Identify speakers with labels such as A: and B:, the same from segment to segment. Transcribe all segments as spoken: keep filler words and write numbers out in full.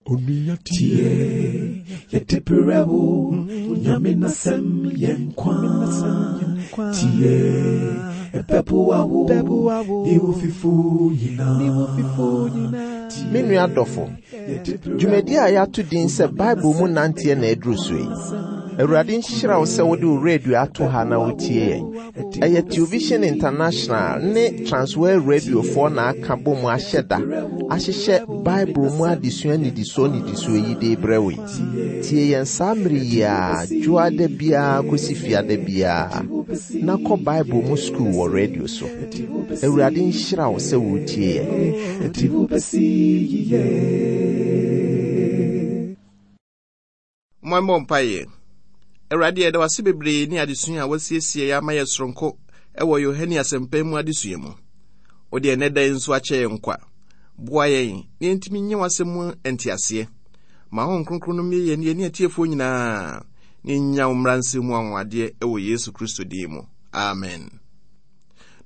A: Tie, yɛde brɛ wo, Nyame n'asɛm yɛ nkwa. Tie, ɛbɛboa wo, ne wo fifo nyinaa.
B: Me nua dɔfo, dwumadi a yɛato din sɛ Bible mu nanteɛ na aduru so yi. Awurade nhyira wo sɛ wode wo radio ato ha na wotie yɛn. Ɛyɛ Television International ne Transworld Radiofoɔ na aka bɔ mu ahyɛ da ahyehyɛ Bible mu adesua nnidisoɔ nnidisoɔ yi de brɛ wo yi. Tie yɛn saa mmere yi a dwoada biara kɔsi fiada biara na kɔ Bible mu sukuu wɔ radio so. Awurade nhyira wo sɛ wotie yɛn.
A: Ɛde wo bɛsi yiye.
C: Mommɔ mpaeɛ. Awurade, yɛda wo ase bebree ne adesua a wasiesie yɛ ama yɛ soronko ɛwɔ Yohane Asɛmpa mu adesua mu. Wode ɛnɛ da yi nso akyɛ yɛn nkwa. Boa yɛn na yɛntumi nyɛ w'asɛm mu nteaseɛ. Ma Honhom Kronkron no mmue yɛn ne yɛn atiefoɔ nyinaa na yɛnya wo mmara nsɛm mu anwanwadeɛ ɛwɔ Yesu Kristo din mu. Amen.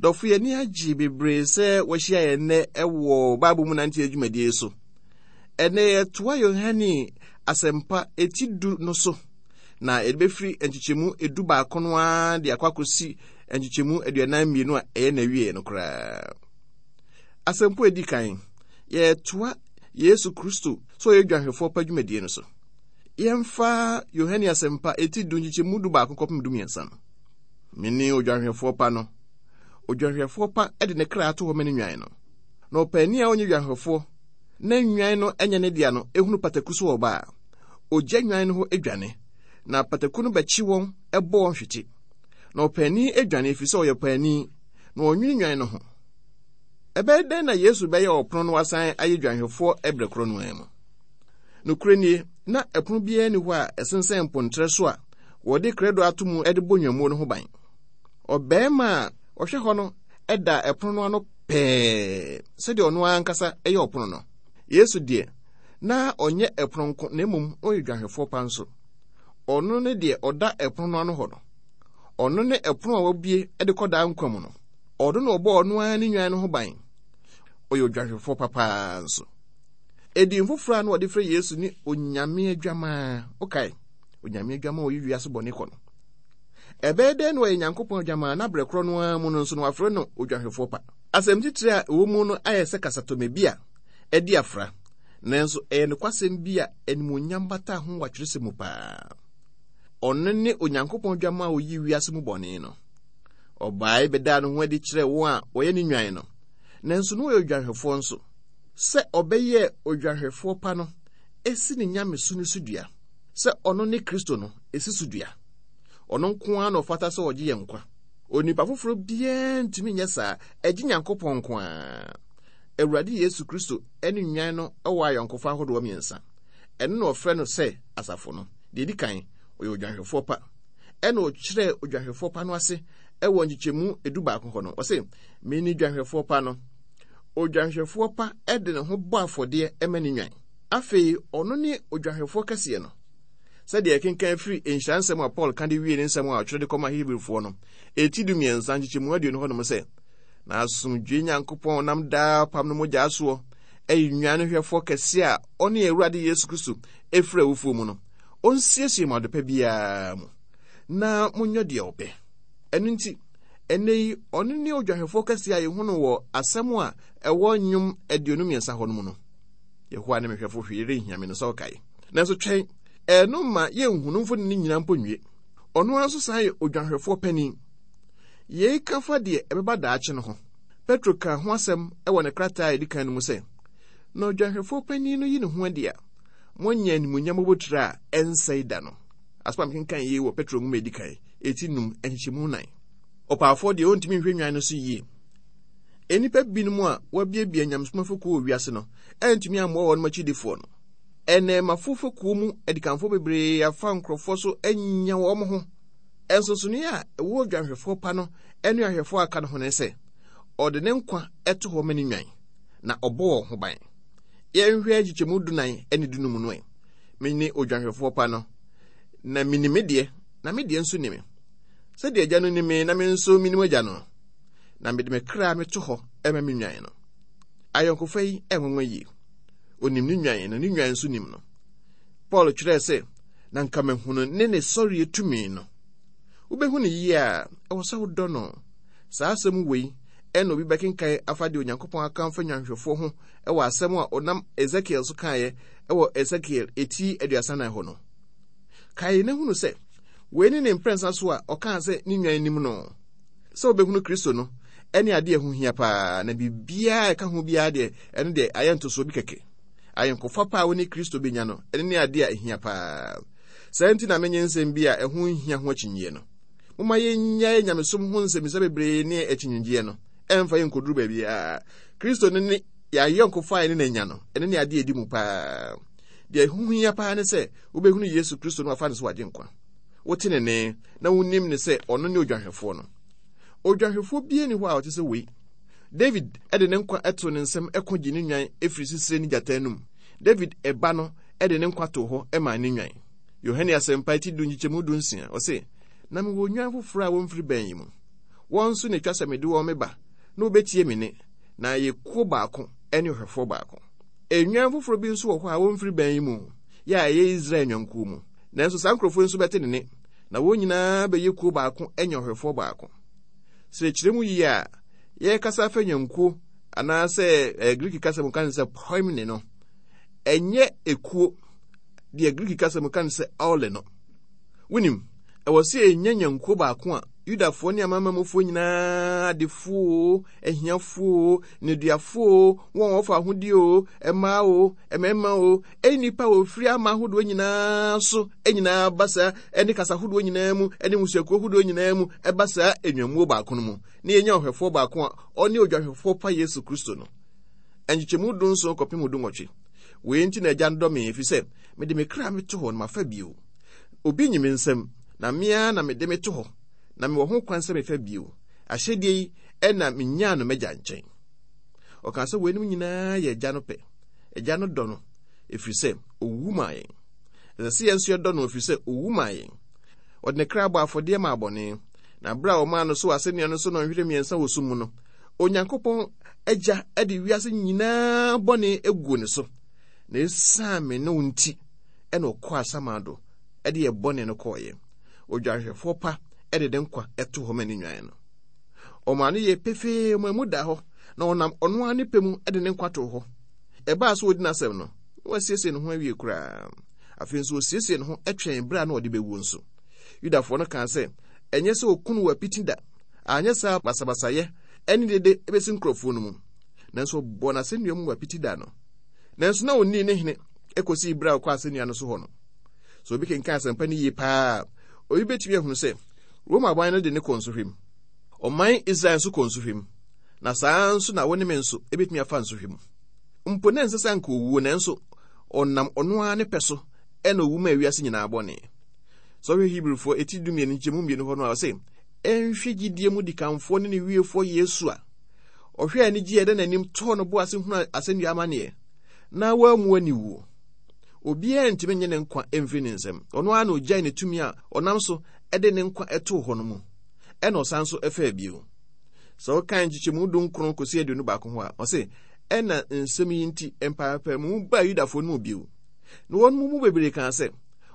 C: Dɔfo, yɛn ani agye bebree sɛ wɔahyia yɛn nnɛ ɛwɔ Bible mu nante adwumadie so. Ɛnɛ yɛtoa Yohane Asɛmpa eti du no so, na yɛde bɛfiri nkyekyɛmu edu baako no ara de akɔ akɔsi nkyekyɛmu aduanan mmienu a ɛyɛ n'awie no koraa. Asɛmpo a edi kan, yɛtoa Yesu Kristo sɛ ɔyɛ dwanhwɛfoɔ pa dwumadie no so. Yɛmfa Yohane Asɛmpa eti du nkyekyɛmu du baako kɔpem du mmiɛnsa no. Mene odwanhwɛfoɔ pa no. Odwanhwɛfoɔ pa de ne kra ato hɔ ma ne nnwan no. Na ɔpaani a ɔnyɛ dwanhwɛfoɔ na nnwan no nyɛ ne dea no ehunu pataku so wɔ ba a, ogya nnwan no hɔ adwane, na pataku no bɛkye wɔn bɔ wɔn hwete. Na ɔpaani adwane ɛfiri sɛ ɔyɛ paani, na ɔnwene nnwan no ho. Ɛbɛyɛ dɛn na Yesu bɛyɛ ɔpono no asan ayɛ dwanhwɛfoɔ ɛberɛ korɔ no ara mu? Nokorɛ nie, na ɛpono biara nni hɔ a ɛsensɛn mpontrɛ so a wɔde krɛdo ato mu de bɔ nnwammuo no ho ban. Ɔbarima a ɔhwɛ hɔ no da ɛpono no ano pɛɛ sɛdeɛ ɔno ankasa yɛ ɔpono no. Yesu deɛ, na ɔnyɛ ɛpono nko, na mmom ɔyɛ dwanhwɛfoɔ pa nso. Ɔno ne deɛ ɔda ɛpono no ano hɔ no. Ɔno ne ɛpono a wabue de kɔ daa nkwa mu no. Ɔno na ɔbɔ ɔno ara ne nnwan no ho ban. Ɔyɛ odwanhwɛfoɔ papaa nso. Edin foforɔ a na wɔde frɛ Yesu ne Onyame Adwamaa. Wokae? Onyame Adwamaa a ɔyi wiase bɔne kɔ no. Ɛbɛyɛ dɛn na ɔyɛ Nyankopɔn adwamaa na berɛ korɔ no ara mu no nso no wafrɛ no odwanhwɛfoɔ pa? Asɛm titire a ɛwɔ mu no ayɛ sɛ kasatɔmɛ bi a ɛdi afra, nanso ɛyɛ nokwasɛm bi a animuonyam bata ho wɔ atwerɛsɛm mu paa. Ɔno ne Onyankopɔn adwamaa a ɔyi wiase mu bɔne no. Ɔbae bɛdaa ne ho adi kyerɛɛ wɔn a wɔyɛ ne nnwan no, nanso na ɔyɛ odwanhwɛfoɔ nso. Sɛ ɔbɛyɛɛ odwanhwɛfoɔ pa no, esi ne nyamesu no so dua. Sɛ ɔno ne Kristo no, esi so dua. Ɔno nko ara na ɔfata sɛ ɔgye yɛn nkwa. Onipa foforɔ biara ntumi nyɛ saa, ɛgye Nyankopɔn nko ara. Awurade Yesu Kristo ne nnwan no wɔ ayɔnkofa ahodoɔ mmiɛnsa. Ɛno na ɔfrɛ no sɛ asafo no. Deɛ edi kan, ɔyɛ odwanhwɛfoɔ pa. Ɛna ɔkyerɛɛ odwanhwɛfoɔ pa no ase ɛwɔ nkyekyɛmu edu baako hɔ no. Ɔse, mene dwanhwɛfoɔ pa no. Odwanhwɛfoɔ pa de ne ho bɔ afɔdeɛ ma ne nnwan. Afei, ɔno ne odwanhwɛfoɔ kɛseɛ no. Sɛdeɛ ɛkenkan firi nhyira nsɛm a Paul ka de wie ne nsɛm a ɔtwerɛ de kɔma Hebrifoɔ no, eti du mmiɛnsa nkyekyɛmu aduonu hɔnom sɛ, na asomdwoe Nyankopɔn nam daa apam no mogya soɔ ɛyɛ nnwan no hwɛfoɔ kɛseɛ a ɔne Awurade Yesu Kristo efiri awufoɔ mu no, ɔnsiesie mo adepa biara mu na monyɛ deɛ ɔpɛ. Ɛno nti, ɛnnɛ yi, ɔno ne odwanhwɛfoɔ kɛseɛ a yɛhu no wɔ asɛm a ɛwɔ nnwom aduonu mmiɛnsa hɔ no mu no. Yehowa ne me hwɛfo, hwee renhia me no sɛ ɔkae. Nanso twɛn, ɛno ma yɛnhunu mfoni no nyinaa mpo nwie. Ɔno ara nso san yɛ odwanhwɛfoɔ panin. Yei ka fa deɛ ɛbɛba daakye no ho. Petro kaa ho asɛm wɔ ne krataa a ɛdi kan no mu sɛ, na odwanhwɛfoɔ panin no yi ne ho adi a, moanya animuonyam abotire a ɛnsɛe da no. Asɛm a mekenkan yei wɔ Petro nwoma a ɛdi kan, eti num, nkyekyɛmu nnan. Ɔpaafoɔ deɛ ɔntumi nhwɛ nnwan no so yie. Nnipa binom a wɔabiabia nyamesom afekuo wɔ wiase no antumi ammoa wɔn akyidifoɔ no. Ɛnɛɛmafo fekuo mu adikanfoɔ bebree afa nkurɔfoɔ so anya wɔn ho. Nsonsonoeɛ a ɛwɔ odwanhwɛfoɔ pa no ne ahwɛfoɔ a aka no ho ne sɛ, ɔde ne nkwa to hɔ ma ne nnwan, na ɔbɔ wɔn ho ban. Yɛnhwɛ nkyekyɛmu dunan ne dunum no ɛ. Mene odwanhwɛfoɔ pa no, na menim me deɛ, na me deɛ nso ni me. Sɛdeɛ Agya no nim me na me nso menim Agya no, na mede me kra meto hɔ ma me nnwan no. Ayɔnkofa yi ɛnwanwa yie. Onim ne nwan na ne nwan nso nim no. Paul twerɛɛ sɛ, na nka mahunu ne ne sɔreɛ tumi no. Wobɛhu no yie a, ɛwɔ sɛ wodɔ no. Saa asɛm wei ɛna obi bɛkenkan afa deɛ Onyankopɔn aka mfa nnwanhwɛfoɔ ho ɛwɔ asɛm a ɔnam Ezekiel so kaeɛ ɛwɔ Ezekiel eti aduasa nan hɔ no. Kae na hunu sɛ, wei ne ne mprɛnsa so a ɔkaa sɛ ne nwan nim no. Sɛ wobɛhunu Kristo no, ɛne adeɛ ɛho hia paa, na biribiara ɛka ho biara deɛ, ɛno deɛ ayɛ ntosoɔ bi kɛkɛ. Ayɔnkofa pa a wo ne Kristo bɛnya no, ɛno ne adeɛ a ɛhia paa. Saa nti na menye nsɛm bi a ɛho nhia ho akyinnyie no. Momma yɛnnyae nyamesom ho nsɛmmisa bebree ne akyinnyegyeɛ no, ɛmfa yɛn nkɔduru baabiara. Kristo no ne yɛayɔnkofa a ɛne n'anya no, ɛno ne adeɛ a ɛdi mu paa. Deɛ ɛho hia paa ne sɛ wobɛhunu Yesu Kristo no afa ne so wagye nkwa. Wote ne nne na wonim ne sɛ ɔno ne odwanhwɛfoɔ no. Odwanhwɛfoɔ biara nni hɔ a ɔte sɛ wei. David de ne nkwa too ne nsam ko gye ne nwan firi sisire ne gyata anum. David ɛba no de ne nkwa too hɔ maa ne nwan. Yohane Asɛmpa ti du nkyekyɛmu du nsia, ɔse, na mewɔ nnwan foforɔ a wɔmfiri bɛn yi mu. Wɔn nso na etwa sɛ mede wɔn meba, na wɔbɛtie me nne, na ayɛ kuo baako ne ɔhwɛfoɔ baako. Nnwan foforɔ bi nso wɔ hɔ a wɔmfiri bɛn yi mu, yɛ a ɛyɛ Israel nnwankuo mu. Nanso saa nkurɔfoɔ yi nso bɛte ne nne, na wɔn nyinaa bɛyɛ kuo baako anya ɔhwɛfoɔ baako. Sɛ kyerɛ mu yie a, yɛrekasa afa nnwankuo anaasɛ eh, Greek kasa mu ka no sɛ poimne no, ɛnyɛ ekuo deɛ Greek kasa mu ka no sɛ aule no. Wonim, ɛwɔ sɛ yɛnya nnwankuo baako a Yudafoɔ ne amanamanmufoɔ nyinaa, adefoɔ o, ahiafoɔ o, nneduafoɔ o, wɔn a wɔfa ahodeɛ o, mmaa o, mmarima o, nnipa a wɔfiri ama ahodoɔ nyinaa so nyinaa ba saa, ne kasa ahodoɔ nyinaa mu, ne mmusuakuo ahodoɔ nyinaa mu ba saa nnwammuo baako no mu, na yɛnya ɔhwɛfoɔ baako a ɔne odwahwɛfoɔ pa Yesu Kristo no. Nkyekyɛmu dunson kɔpem dunwɔtwe. Wei nti na Agya no dɔ me, ɛfiri sɛ mede me kra meto hɔ na mafa bio. Obi nyi me nsam, na me ara na mede meto hɔ, na mewɔ ho kwan sɛ mefa bio. Ahyɛdeɛ yi ɛna menyaa no m'agya nkyɛn. Ɔkaa sɛ weinom nyinaa yɛ Agya no pɛ. Agya no dɔ no, ɛfiri sɛ ɔwu maa yɛn. Ɛsɛ sɛ yɛn nso yɛdɔ no, ɛfiri sɛ ɔwu maa yɛn. Ɔde ne kra bɔ afɔdeɛ maa bɔne, na berɛ a ɔmaa no so wɔ asɛnnua no so nnɔnhwere mmiɛnsa wɔ sum mu no, Onyankopɔn Agya de wiase nyinaa bɔne guu ne so. Na ɛsiane me ne wo nti ɛna ɔkɔɔ asamando de yɛ bɔne no kɔɔeɛ. Odwanhwɛfoɔ pa de ne nkwa to hɔ ma ne nnwan no. Ɔmaa no yɛ pefee, ɔmaa mu da hɔ, na ɔnam ɔno ara ne pɛ mu de ne nkwa too hɔ. Ɛbaa so ɔdi n'asɛm no, na wasiesie ne ho awie koraa. Afei nso ɔsiesie ne ho twɛn berɛ a na ɔde bɛwuo nso. Yudafoɔ no kaa sɛ, ɛnyɛ sɛ ɔku no wɔ apiti da, anyɛ saa basabasayɛ ne dede bɛsi nkurɔfoɔ no mu. Nanso ɔbɔɔ n'asɛnnua mu wɔ apiti da no. Nanso na ɔnnii ne hene kɔsii berɛ a ɔkɔ asɛnnua no so hɔ no. Sɛ obi kenkan asɛmpa no yie paa a, obi bɛtumi ahunu sɛ Roma aban no de ne kɔ nsohwɛ mu. Ɔman Israel nso kɔ nsohwɛ mu. Na saa nso na wo ne me nso ebɛtumi afa nsohwɛ mu. Mpo na ɛnsɛ sɛ anka owuo, nanso ɔnam ɔno ara ne pɛ so ɛna owu ma wiase nyinaa bɔne. Sɛ ɔhwɛ Hebrifoɔ eti dumienu nkyɛmu mmienu hɔ no a, ɔse, ɛnhwɛ gyidie mu dikanfoɔ ne ne wiefoɔ Yesu a ɔhwɛ anigye a ɛda n'anim tɔɔ no bo ase hunu asɛnnua amanneɛ na wammu aniwuo. Obiara ntumi nye ne nkwa mfiri ne nsam. Ɔno ara na ogyae ne tumi a ɔnam so de ne nkwa too hɔ no mu. Ɛna ɔsan so faa bio. Sɛ wokan nkyekyɛmu dunkron kɔsi aduonu baako ho a, ɔse, ɛna nsɛm yi nti mpaapaemu baa Yudafoɔ no mu bio. Na wɔn mu bebree kaa sɛ,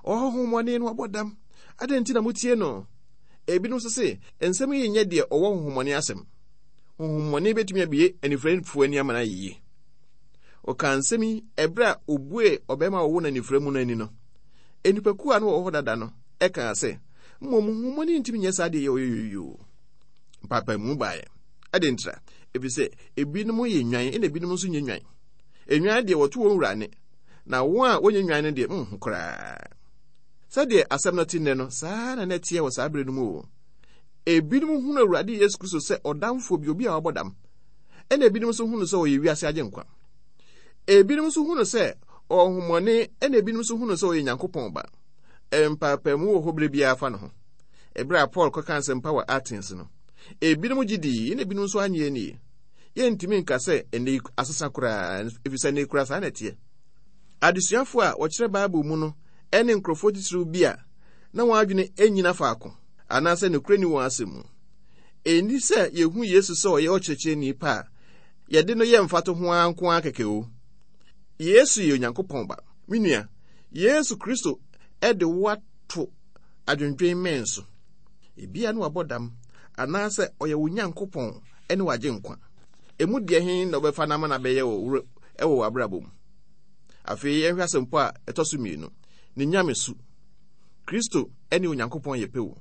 C: ɔwɔ honhommɔne no abɔ dam. Adɛn nti na motie no? Ebinom nso se, nsɛm yi nyɛ deɛ ɔwɔ honhommɔne asɛm. Honhommɔne bɛtumi abue anifurafoɔ ani ama no ayɛ yie. Ɔkaa nsɛm yi ɛberɛ a obuee ɔbarima a wɔwɔ no anifura mu no ani no. Nnipakuo a na wɔwɔ hɔ dada no ɛkaa sɛ, mmom honhommɔne ntumi nyɛ saa deɛ yɛ ɔyɛ Mpaapaemu baeɛ. Ɛde ntra, ɛfiri sɛ ebinom yɛ nnwan ɛna ebinom nso nyɛ nnwan. Nnwan deɛ wɔto wɔn wura ne, na wɔn a wɔnyɛ nnwan no deɛ nhu koraa. Sɛdeɛ asɛm no te nnɛ no, saa na na ɛteɛ wɔ saa berɛ no mu o. Ebinom hunu Awurade Yesu Kristo sɛ ɔdamfoɔ bi, obi a wabɔ dam. Ɛna ebinom nso hunu sɛ ɔyɛ wiase agyenkwa. Ebinom nso hunu sɛ ɔwɔ honhommɔne, ɛna ebinom nso hunu sɛ ɔyɛ Nyankopɔn ba. Mpaapaemu wɔ hɔ berɛ biara fa ne ho. Ɛberɛ a Paul kɔka asɛmpa wɔ Athens no, ebinom gye dii, ɛna ebinom nso annye annie. Yɛntumi nka sɛ ɛnnɛ yi asesa koraa, ɛfiri sɛ ɛnnɛ yi koraa saa na ɛteɛ. Adesuafo a wɔkyerɛ Bible mu no ne nkurɔfoɔ titiriw bi a na wɔn adwene nnyina faako anaasɛ nokorɛ nni wɔn asɛm mu. Ɛnni sɛ yɛhu Yesu sɛ ɔyɛ ɔkyerɛkyerɛni pa a yɛde no yɛ mfatoho ara nko ara kɛkɛ o. Yesu yɛ Onyankopɔn ba. Me nua, Yesu Kristo ɛde wo ato adwendwen mmɛn so. Ebia ne wabɔ dam anaasɛ ɔyɛ wo Nyankopɔn ɛne wagye nkwa. Emu deɛ he na wobɛfa no ama no abɛyɛ wɔ ɛwɔ w'abrabɔ mu. Afei yɛnhwɛ asɛmpo a ɛtɔ so mmienu, ne nyamesu. Kristo ɛne Onyankopɔn yɛ pɛ wo.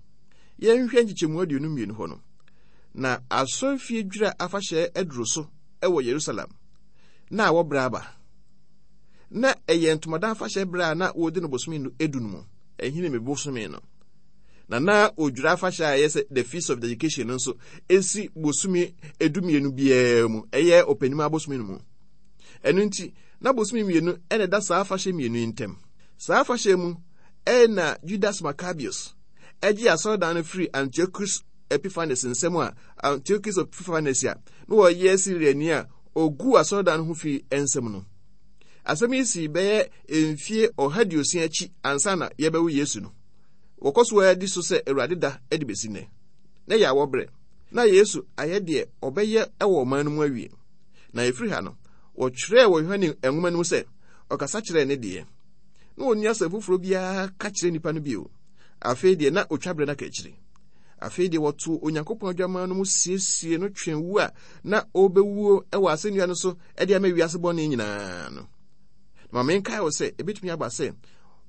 C: Yɛnhwɛ nkyekyɛmu aduonu mmienu hɔ no. Na asɔrefie dwira afahyɛ aduro so ɛwɔ Yerusalem. Na wɔbrɛ aba. Na ɛyɛ ntomadan afahyɛ berɛ a na wɔdi no bosome edu no mu. Ɛhene me bosome no. Na na odwira afahyɛ a ɛyɛ sɛ the feast of dedication no nso esi bosome edu mmienu biara mu. Ɛyɛ ɔpanim abosome no mu. Ɛno nti, na bosome mmienu ɛna ɛda saa afahyɛ mmienu yi ntam. Saa afahyɛ mu ɛna Judas Maccabeus ɛgye asɔredan no firi Antiochus Epiphanes nsam a Antiochus Epiphanes a na wɔyɛ Syriani a ogu asɔredan no ho fi nsam no. Asɛm yi si bɛyɛ mfie ɔha aduosia akyi ansa na yɛbɛwo Yesu no. Wɔkɔ so adi so sɛ Awurade da de besi nnɛ. Na yɛ awɔ berɛ. Na Yesu ayɛ deɛ ɔbɛyɛ wɔ ɔman no mu awie. Na ɛfiri ha no, wɔtwerɛɛ wɔ Yohane nwoma no mu sɛ ɔkasa kyerɛɛ ne deɛ. Na ɔnni asɛm foforɔ biara ka kyerɛ nnipa no bio. Afei deɛ na otwa berɛ no aka akyiri. Afei deɛ wɔtoo Onyankopɔn adwaman no mu siesie no twɛn wu a na ɔrebɛwuo wɔ asɛnnua no so de ama wiase bɔne nyinaa no. Na ma menkae wo sɛ ebetumi aba sɛ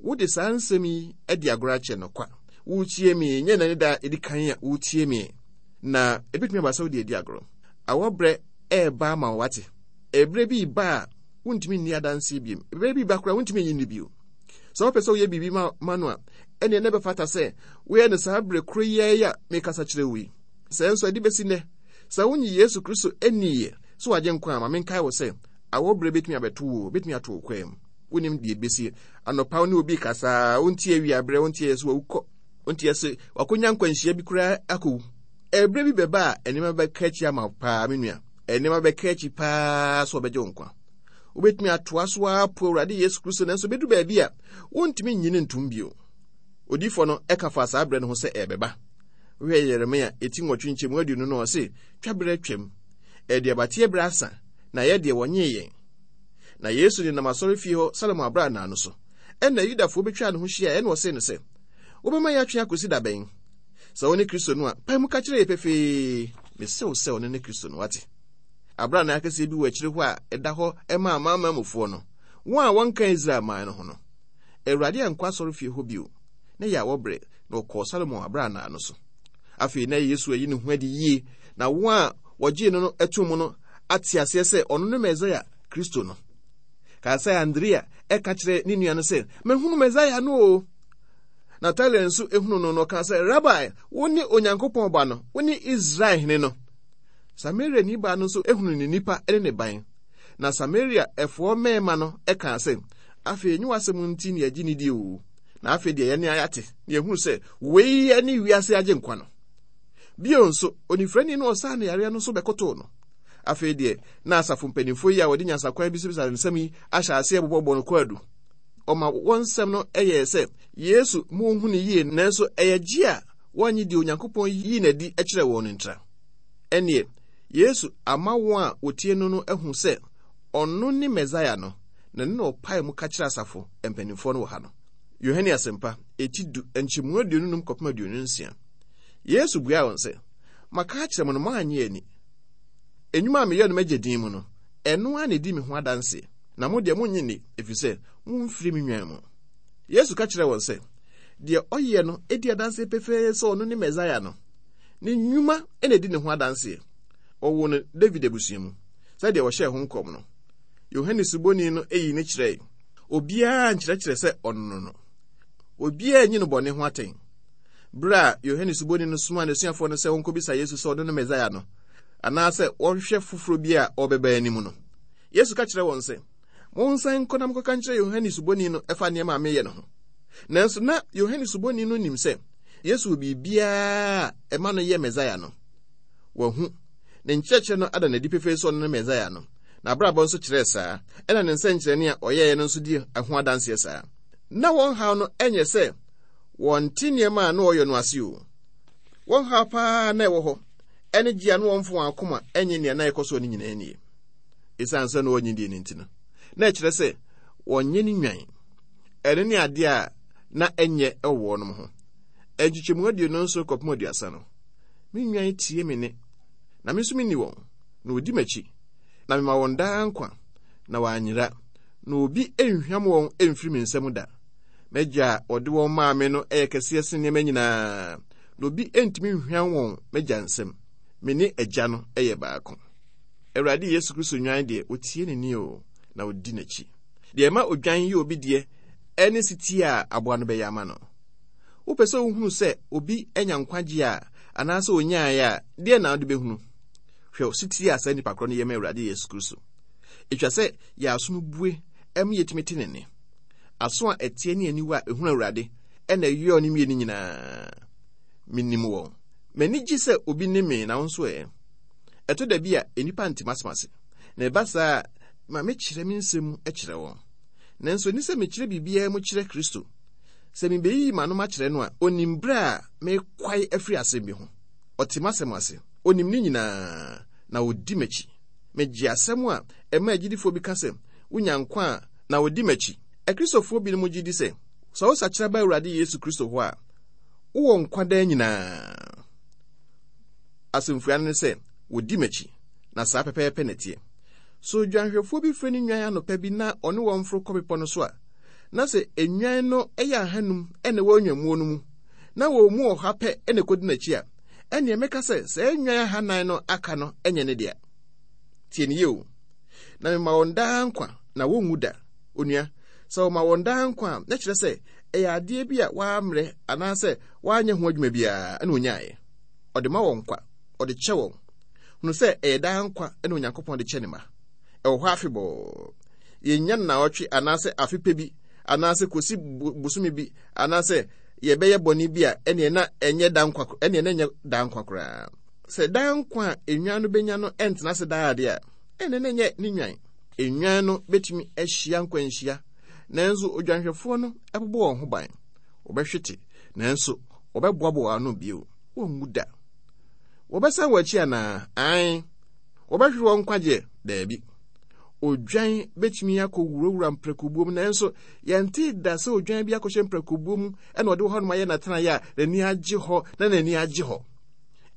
C: wode saa nsɛm yi adi agorɔ akyɛ no kwa. Woretie me, nyɛ nnɛ ne da a edi kan a woretie me. Na ebetumi aba sɛ wode adi agorɔ. Awɔberɛ ɛreba ama wo wate. Ɛberɛ bi reba a wontumi nni adanseɛ bio. Ɛberɛ bi ba koraa wontumi nyi nni bio. Sɛ wopɛ sɛ woyɛ biribi ma, ma no a, ɛneɛ na ɛbɛfata sɛ woyɛ no saa berɛ koro yi ara a mekasa kyerɛ wo yi. Sɛ nso ɛde bɛsi nnɛ, sɛ wonyi Yesu Kristo anniiɛ sɛ wagye nkwa a, ma menkae wo sɛ awɔberɛ bɛtumi abɛto wo, bɛtumi ato wo kwaa mu. Wonim deɛ ɛbɛsi. Anɔpa wo ne obi kasa, wontie awiaberɛ, wontie sɛ wawu kɔ, wontie sɛ wakɔnya nkwanhyia bi koraa akɔwu. Ɛberɛ bi bɛba a nneɛma bɛka akyi ama wo paa, me nua. Nneɛma bɛka akyi paa sɛ ɔbɛgye wo nkwa. Wobɛtumi atoa so apo Awurade Yesu Kristo, nanso bɛdu baabi a wontumi nyi no ntom bio. Odiyifoɔ no ɛka fa saa berɛ no ho sɛ ɛbɛba. Wohwɛ Yeremia eti nwɔtwe nkyɛmu aduonu no, ɔse, twa berɛ twam. Aduabateɛ berɛ asa, na yɛ deɛ wɔnyee yɛn. Na Yesu nenam asɔrefie hɔ Salomo abrannaa no so. Ɛnna Yudafoɔ bɛtwaa ne ho hyiaeɛ, ɛnna ɔsee no sɛ, wobɛma yɛatwe akɔsi da bɛn? Sɛ wo ne Kristo no a, pae mu ka kyerɛ yɛ pefee. Mese wo sɛ ɔno ne Kristo no, wate. Abrannaa kɛseɛ bi wɔ akyire hɔ a ɛda hɔ ma amanamanmufoɔ no, wɔn a wɔnka Israel man no ho no. Awurade ankɔ asɔrefie hɔ bio, na yɛ awɔberɛ, na ɔkɔɔ Salomo abrannaa no so. Afei na Yesu ayi ne ho adi yie, na wɔn a wɔgyee no no ato mu no ate aseɛ sɛ ɔno ne Mesaia Kristo no. Kaa sɛ Andrea ɛka kyerɛ ne nua no sɛ, mahunu Mesaia no o. Natanael nso ehunu no no ɔkaa sɛ, Rabai, wo ne Onyankopɔn ba no, wo ne Israel hene no. Samariani baa no nso ehunu ne nipa ne ne ban. Na Samaria ɛfoɔ mmarima no ɛkaa sɛ, afei nye w'asɛm nti ne yɛgye ne di o. Na afei deɛ yɛne ayate, na yɛhunu sɛ wei ne wiase agye nkwa no. Bio nso, onifirani no ɔsaa ne yareɛ no nso bɛkotoo no. Afei deɛ, na asafo mpanimfoɔ yi a wɔde nyansakwan bisabisa nsɛm yi ahyɛ aseɛ bobɔbɔ no kwaadu. Ɔma wɔn nsɛm no yɛɛ sɛ Yesu ma wɔnhu no yie, nanso ɛyɛ gye a wɔnnye deɛ Onyankopɔn yii n'adi kyerɛɛ wɔn no ntira. Ɛnneɛ, Yesu ama wɔn a wɔtie no no ahu sɛ ɔno ne Mesaia no, na ne na ɔpae mu ka kyerɛ asafo mpanimfoɔ no wɔ ha no. Yohane Asɛmpa, eti du, nkyɛmu aduonu num kɔpem aduonu nsia. Yesu buaa wɔn sɛ, maka akyerɛ mo no moannye ani. Nnwuma a meyɛ no m'agya din mu no, ɛno ara na ɛdi me ho adanseɛ. Na mo deɛ monnye nni, ɛfiri sɛ momfiri me nnwan mu. Yesu ka kyerɛɛ wɔn sɛ, deɛ ɔyɛ no di adanseɛ pefee sɛ ɔno ne Mesaia no. Ne nnwuma na ɛdi ne ho adanseɛ. Wɔwoo no David abusua mu, sɛdeɛ wɔhyɛɛ ho nkɔm no. Yohane Suboni no yii ne kyerɛe. Obiara nkyerɛkyerɛ sɛ ɔno no no. Obiara nyi no bɔne ho atɛn. Bere a Yohane Suboni no somaa n'asuafoɔ no sɛ wɔnkɔbisa Yesu sɛ ɔno ne Mesaia no, anaasɛ wɔnhwɛ foforɔ bi a ɔrebɛba anim no, Yesu ka kyerɛɛ wɔn sɛ, monsan nkɔ na monkɔka nkyerɛ Yohane Suboni no ɛfa nneɛma a meyɛ no ho. Nanso na Yohane Suboni no nim sɛ Yesu wɔ biribiara a ɛma no yɛ Mesaia no. Wahu. Ne nkyerɛkyerɛ no ada n'adi pefee sɛ ɔno ne Mesaia no. N'abrabɔ nso kyerɛɛ saa, ɛna ne nsɛnkyerɛnne a ɔyɛeɛ no nso di ho adanseɛ saa. Na wɔn haw no nyɛ sɛ wɔnte nneɛma a na ɔyɛ no ase o. Wɔn haw paa na ɛwɔ hɔ ɛne gye a na wɔmfa wɔn akoma ɛnyɛ nea na ɛkɔ soɔ no nyinaa nie. Esiane sɛ na wɔnnye die no nti no, na ɛkyerɛ sɛ wɔnyɛ ne nwan. Ɛno ne adeɛ a na ɛnyɛ ɛwɔ wɔnom ho. Nkyekyɛmu aduonu nson kɔpem aduasa no, me nwan tie me nne, na me nso menni wɔn, na wɔdi m'akyi, na mema wɔn daa nkwa, na wɔanyera, na obi nhwam wɔn mfiri me nsam da. M'agya a ɔde wɔn maa me no yɛ kɛseɛ sen nneɛma nyinaa, na obi ntumi nhwam wɔn m'agya nsam. Me ne agya no yɛ baako. Awurade Yesu Kristo nwan deɛ, otie ne nne o, na odi n'akyi. Deɛ ɛma odwan yɛ obi deɛ ɛne setie a aboa no bɛyɛ ama no. Wopɛ sɛ wohunu sɛ obi anya nkwagye a anaasɛ onyaeɛ a, deɛ na wode bɛhunu? Hwɛ setie a saa nipa korɔ no yɛ ma Awurade Yesu Kristo. Ɛtwa sɛ yɛ aso no bue ɛma yɛtumi te ne nne. Aso a ɛteɛ ne aniwa a ɛhunu Awurade ɛna ɛyɔɔ ne mmienu nyinaa. Menim wɔn. M'ani gye sɛ obi ne me na wo nso ɛ. Ɛtɔ da bi a nnipa nte m'asɛm ase, na ɛba saa a ma mekyerɛ me nsɛm mu kyerɛ wɔn. Nanso ɛni sɛ mekyerɛ biribiara mu kyerɛ Kristo. Sɛ mebeyiyi m'ano makyerɛ no a, onim berɛ a mekwae afiri asɛm bi ho. Ɔte m'asɛm ase, onim ne nyinaa, na odi m'akyi. Megye asɛm a ɛma agyidifoɔ bi ka sɛ wonya nkwa a na odi m'akyi. Akristofoɔ binom gye di sɛ, sɛ wosakyera ba Awurade Yesu Kristo hɔ a, wowɔ nkwa daa nyinaa. Asɛmfua no ne sɛ, wodi m'akyi, na saa pɛpɛɛpɛ na ɛteɛ. So odwanhwɛfoɔ bi frɛ ne nnwan anɔpa bi na ɔne wɔn foro kɔ bepɔ no so a, na sɛ nnwan no yɛ ahanum na ɛwɔ nnwammuo no mu, na wɔn mu ɔha pɛ na ɛkɔdi n'akyi a, ɛnneɛ mɛka sɛ saa nnwan ahanan no aka no nyɛ ne dea. Tie ne yie o. Na mema wɔn daa nkwa, na wɔnwu da. Onua, sɛ wɔma wɔn daa nkwa a, na kyerɛ sɛ ɛyɛ adeɛ bi a wɔammrɛ anaasɛ wɔanyɛ ho adwuma biara na onyaeɛ. Ɔde ma wɔn nkwa, ɔde kyɛ wɔn. Hunu sɛ ɛyɛ daa nkwa na Onyankopɔn de kyɛ ne ma. Ɛwɔ hɔ afebɔɔ. Yɛnnya nnawɔtwe anaasɛ afe pɛ bi anaasɛ kɔsi bosome bi anaasɛ yɛbɛyɛ bɔne bi a ɛneɛ na ɛnyɛ da nkwa ɛneɛ na ɛnyɛ daa nkwa koraa. Sɛ daa nkwa a nnwan no bɛnya no ɛntena ase daa adeɛ a, ɛneɛ na ɛnyɛ ne nnwan. Nnwan no bɛtumi ahyia nkwanhyia, nanso odwanhwɛfoɔ no bɛbɔ wɔn ho ban. Wɔbɛhwete, nanso wɔbɛboaboa ano bio. Wɔnwu da. Wɔbɛsan wɔn akyi anaa? Ae. Wɔbɛhwere wɔn nkwagyeɛ? Daabi. Odwan bɛtumi akɔ wurawura mprakobuo mu, nanso yɛnte da sɛ odwan bi akɔhyɛ mprakobuo mu ɛna ɔde hɔ nom ayɛ n'atenaeɛ a n'ani agye hɔ na n'ani agye hɔ.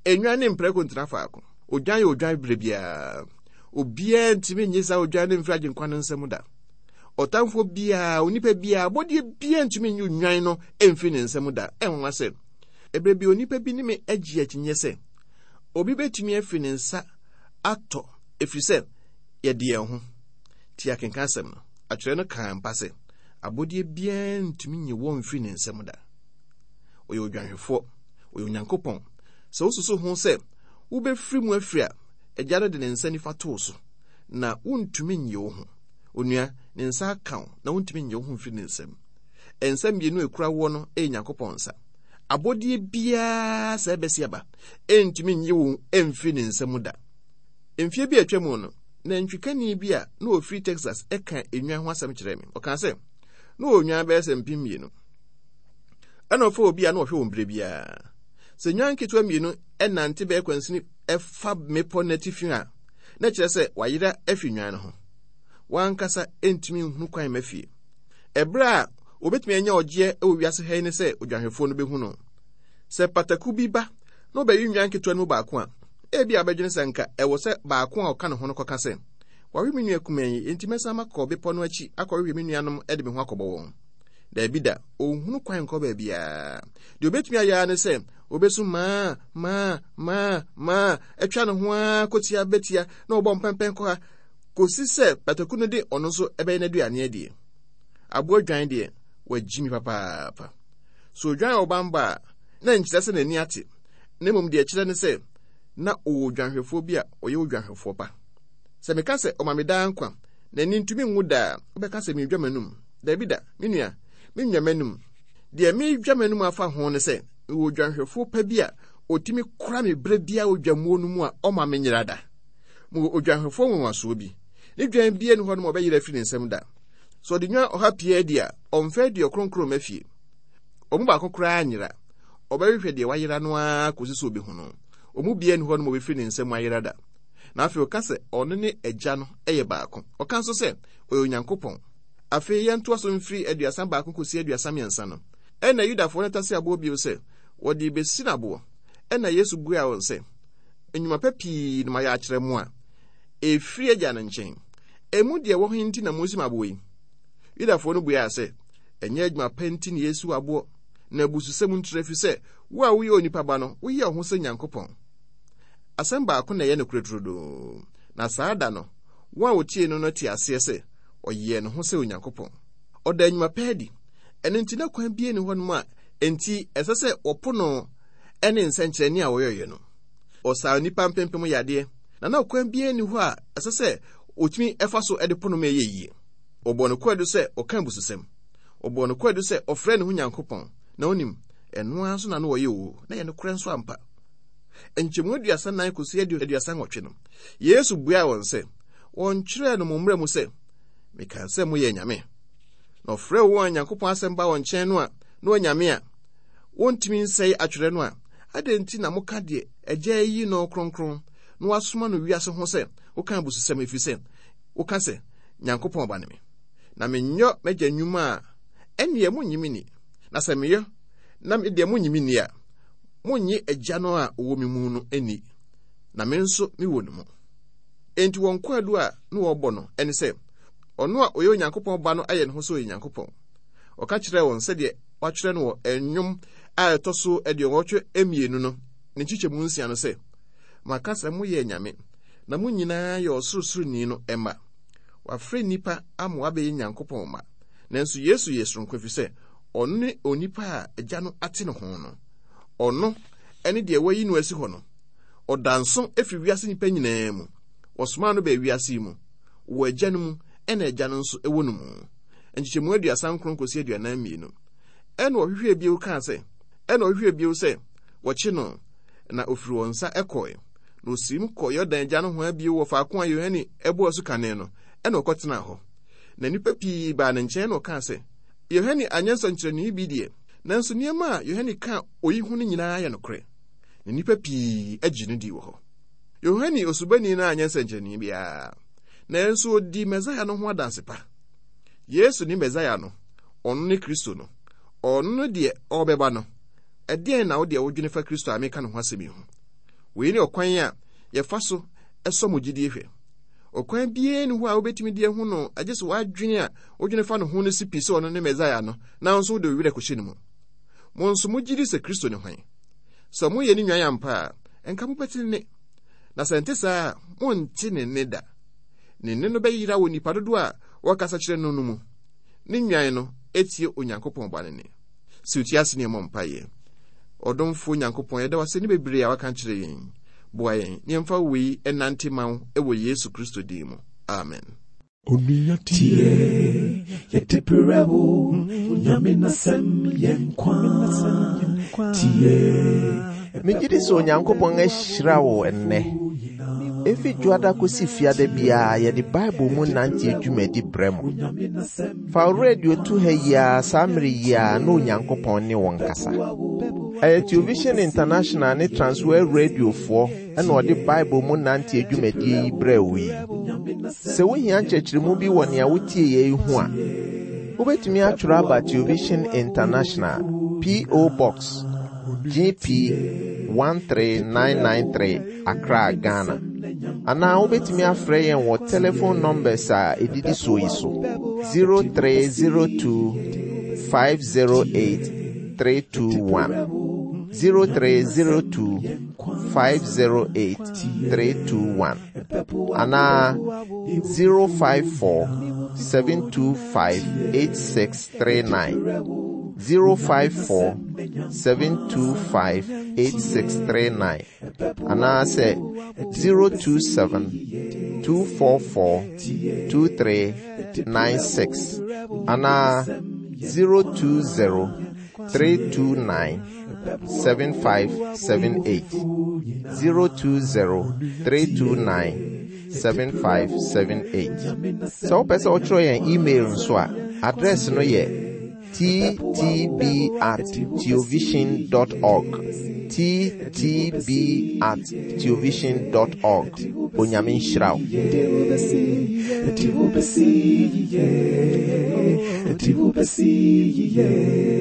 C: Nnwan ne mprako ntena faako. Odwan yɛ odwan berɛ biara. Obiara ntumi nye saa odwan no mfiri agyenkwa no nsam da. Ɔtamfoɔ biara, onipa biara, abɔdeɛ biara ntumi nye odwan no mfiri ne nsam da. Ɛnwanwa sɛ, ɛberɛ bi onipa bi ne me agye akyinnyeɛ sɛ, obi bɛtumi afiri ne nsa atɔ ɛfiri sɛ yɛde yɛn ho. Tie akenka asɛm no. Atwerɛ no kaa mpa sɛ, abɔdeɛ biara ntumi nye wɔn mfiri ne nsam da. Ɔyɛ odwanhwɛfoɔ, ɔyɛ Onyankopɔn. Sɛ wosusu ho sɛ wobɛfiri mu afiri a, agya no de ne nsa nifa too so, na wontumi nye wo ho. Onua, ne nsa aka wo, na wontumi nye wo ho mfiri ne nsam. Nsa mmienu a ekura woɔ no yɛ Nyankopɔn nsa. Abɔdeɛ biara sɛ ɛbɛsi aba, ɛntumi nye wo mfiri ne nsa mu da. Mfie bi a atwa mu no, nantwikani bi a na ofiri Texas ɛka nnwan ho asɛm kyerɛɛ me. Ɔkaa sɛ, na ɔwɔ nnwan bɛyɛ sɛ mpem mmienu. Ɛna ɔfa obi a na ɔhwɛ wɔn berɛ biara. Sɛ nnwan nketewa mmienu ɛnante bɛyɛ kwansini ɛfa mmepɔ n'atifi a, na kyerɛ sɛ wayera afi nnwan no ho. Wankasa ntumi nhunu kwan mma fie. Ɛberɛ a obetumi anya ɔgyeɛ wɔ wiase ha yi ne sɛ odwanhwɛfoɔ no bɛhu no. Sɛ pataku bi ba na ɔbɛyi nnwan ketewa no mu baako a, ebi a bɛdwene sɛ nka ɛwɔ sɛ baako a ɔka ne ho no kɔka sɛ, wawe me nua kumaa yi, enti mɛsan makɔ bepɔ no akyi akɔhwehwɛ me nuanom de me ho akɔbɔ wɔn. Daabi da, ɔnhunu kwan nkɔ baabiara. Deɛ obetumi ayɛ ara ne sɛ obesu maa maa maa maa atwa ne ho ara kɔtia bɛtia na ɔbɔ mpɛmpɛn kɔ ha kɔsi sɛ pataku no de ɔno nso ɛbɛyɛ n'aduane adie. Aboa dwan deɛ, wagyi mi papaapa. So odwan a ɔbamba a, na nkyerɛ sɛ n'ani ate, na mmom deɛ ɛkyerɛ ne sɛ na ɔwɔ odwanhwɛfoɔ bi a ɔyɛ odwanhwɛfoɔ pa. Sɛ meka sɛ ɔma me daa nkwa, n'ani ntumi nwu daa, wobɛka sɛ meredwa m'anum. Daabi da, me nua, mennwa m'anum. Deɛ meredwa m'anum afa ho ne sɛ, mewɔ odwanhwɛfoɔ pa bi a ɔtumi kora me berɛ biara wɔ dwammuo no mu a ɔma menyera da. Mewɔ odwanhwɛfoɔ nwanwasoɔ bi. Ne dwan biara nni hɔ nom a ɔbɛyera afiri ne nsam da. Sɛ ɔde nwan ɔha pii adi a, ɔmfa aduɔkron mma fie. Wɔn mu baako koraa nyera. Ɔbɛhwehwɛ deɛ wayera no ara kɔsi sɛ ɔbɛhu no. Wɔn mu biara nni hɔ nom a ɔbɛfiri ne nsam ayera da. Na afei ɔka sɛ ɔno ne Agya no yɛ baako. Ɔka nso sɛ ɔyɛ Onyankopɔn. Afei yɛntoa so mfiri aduasa baako kɔsi aduasa mmiɛnsa no. Ɛnna Yudafoɔ no tase aboɔ bio sɛ wɔde bɛsi no aboɔ. Ɛnna Yesu buaa wɔn sɛ, Nnwuma pa pii na mayɛ akyerɛ mo a ɛfiri Agya no nkyɛn. Emu deɛ ɛwɔ he nti na mosi me aboɔ yi? Yudafoɔ no buaa sɛ, Ɛnyɛ adwuma pa nti na yɛsi wo aboɔ, na abususɛm ntiri, ɛfiri sɛ wo a woyɛ onipa ba no, woyɛ wo ho sɛ Nyankopɔn. Asɛm baako na ɛyɛ nokorɛ turodoo, na saa da no, wɔn a wɔtie no no te aseɛ sɛ ɔyɛɛ ne ho sɛ Onyankopɔn. Ɔda nnwuma pa adi, ɛno nti na kwan biara nni hɔnom a enti ɛsɛ sɛ wɔpo no ne nsɛnkyerɛnne a ɔyɛeɛ no. Ɔsaa nnipa mpempem yadeɛ, na na ɔkwan biara nni hɔ a ɛsɛ sɛ ɔtumi fa so de po no ma ɛyɛ yie. Wɔbɔɔ no kwaadu sɛ ɔka abususɛm. Wɔbɔɔ no kwaadu sɛ ɔfrɛ ne ho Nyankopɔn, na onim, ɛno ara nso na na ɔyɛ oo, na ɛyɛ nokorɛ nso ampa. Nkyɛmu aduasa nan kɔsi aduasa nwɔtwe no, Yesu buaa wɔn sɛ, Wɔntwerɛɛ no mo mmara mu sɛ, Mekaa sɛ moyɛ anyame? Na ɔfrɛɛ wɔn a Nyankopɔn asɛm ba wɔn nkyɛn no a na wɔanyame a wɔntumi nsɛe atwerɛ no a, adɛn nti na moka deɛ Agya ayi no kronkron na wasoma no wiase ho sɛ woka abususɛm, ɛfiri sɛ woka sɛ, Nyankopɔn Ba ne me? Na menyɔ m'Agya nnwuma a, ɛnneɛ monnye me nni. Na sɛ meyɔ na me deɛ monnye me nni a, monnye Agya no a ɔwɔ me mu no nni, na me nso mewɔ ne mu. Enti wɔn kwaadu a na wɔrebɔ no ne sɛ, ɔno a ɔyɛ Onyankopɔn Ba no ayɛ ne ho sɛ ɔyɛ Nyankopɔn. Ɔka kyerɛɛ wɔn sɛdeɛ wɔatwerɛ no wɔ Nnwom a ɛtɔ so aduɔwɔtwe mmienu no ne nkyekyɛmu nsia no sɛ, Maka sɛ moyɛ anyame, na mo nyinaa yɛ Ɔsorosoroni no mma. Wɔafrɛ nnipa ama wɔabɛyɛ Nyankopɔn mma. Nanso Yesu yɛ soronko ɛfiri sɛ ɔno ne onipa a Agya no ate ne ho no. Ɔno ne deɛ wɔayi no asi hɔ no. Ɔda nso firi wiase nnipa nyinaa mu. Wɔsomaa no baa wiase yi mu. Wɔ Agya no mu, ɛna Agya no nso wɔ no mu. Nkyekyɛmu aduasa nkron kɔsi aduanan mmienu. Ɛna ɔhwehwɛɛ bio kaa sɛ, ɛna ɔhwehwɛɛ bio sɛ wɔkye no, na ɔfiri wɔn nsa kɔe. Na ɔsiim kɔɔ Yordan agya nohoa bio wɔ faako a Yohane bɔɔ asu kane no, ɛna ɔkɔtenaa hɔ. Na nnipa pii baa ne nkyɛn na ɔkaa sɛ, Yohane anyɛ nsɛnkyerɛnne bi deɛ, nanso nneɛma a Yohane kaa oyi ho no nyinaa yɛ nokorɛ. Na nnipa pii gye no dii wɔ hɔ. Yohane Osubani no anyɛ nsɛnkyerɛnne biara, nanso ɔdii Mesaia no ho adanse pa. Yesu ne Mesaia no, ɔno ne Kristo no, ɔno ne deɛ ɔrebɛba no. Ɛdeɛn na wo deɛ wodwene fa Kristo a meka ne ho asɛm yi ho? Wei ne ɔkwan a yɛfa so sɔ mo gyidie hwɛ. Ɔkwan biara nni hɔ a wobɛtumi de ahu no agye sɛ w'adwene a wodwene fa ne ho no si pi sɛ ɔno ne Mesaia no, na wo nso wode wo werɛ kɔhyɛ ne mu. Mo nso mogye di sɛ Kristo ne hwan? Sɛ moyɛ ne nnwan ampa a, ɛnka mobɛte ne nne. Na sɛ ɛnte saa a, monte ne nne da. Ne nne no bɛyera wɔ nnipa dodoɔ a wɔkasa kyerɛ no no mu. Ne nnwan no tie Onyankopɔn Ba no nne. Sɛ wotie ase ne yɛmmɔ mpaeɛ. Ɔdomfoɔ Nyankopɔn, yɛda wo ase ne bebree a waka akyerɛ yɛn. Boa yɛn na yɛmfa wei nnante ma wo wɔ Yesu Kristo din mu. Amen.
A: Onua tie, yɛde brɛ wo, Onyame n'asɛm yɛ nkwa. Tie.
B: Megye di sɛ Onyankopɔn ahyira wo ɛnnɛ. Efi Dwoada kosi Fiada biara yɛde Bible mu nante dwumadi brɛ mo. Fa wo radio to ha yi ara saa mmere yi ara na Onyankopɔn ne wo nkasa. Ɛyɛ Television International ne Transworld Radiofoɔ ɛna ɔde Bible mu nante dwumadie yi brɛ wo yi. Sɛ wohia nkyerɛkyerɛmu bi wɔ nea wotie yɛ yi ho a, wobɛtumi atwerɛ aba Television International, P O. Box G P one three nine nine three, Accra, Ghana. Anaa wobɛtumi afrɛ yɛn wɔ telephone numbers a ɛdidi soɔ yi so: zero three zero two five zero eight three two one, zero three zero two five zero eight three two one, anaa zero five four seven two five eight six three nine, zero five four seven two five eight six three nine, anaasɛ zero two seven two four four two three nine six, anaa zero two zero three two nine seven five seven eight, zero two zero three two nine seven five seven eight. Sɛ wopɛ sɛ wotwerɛ yɛn email nso a, address no yɛ T T B at theovision dot org, T T B at theovision dot org. Onyame nhyira wo.
A: Ɛde wo bɛsi yie, ɛde wo bɛsi yie.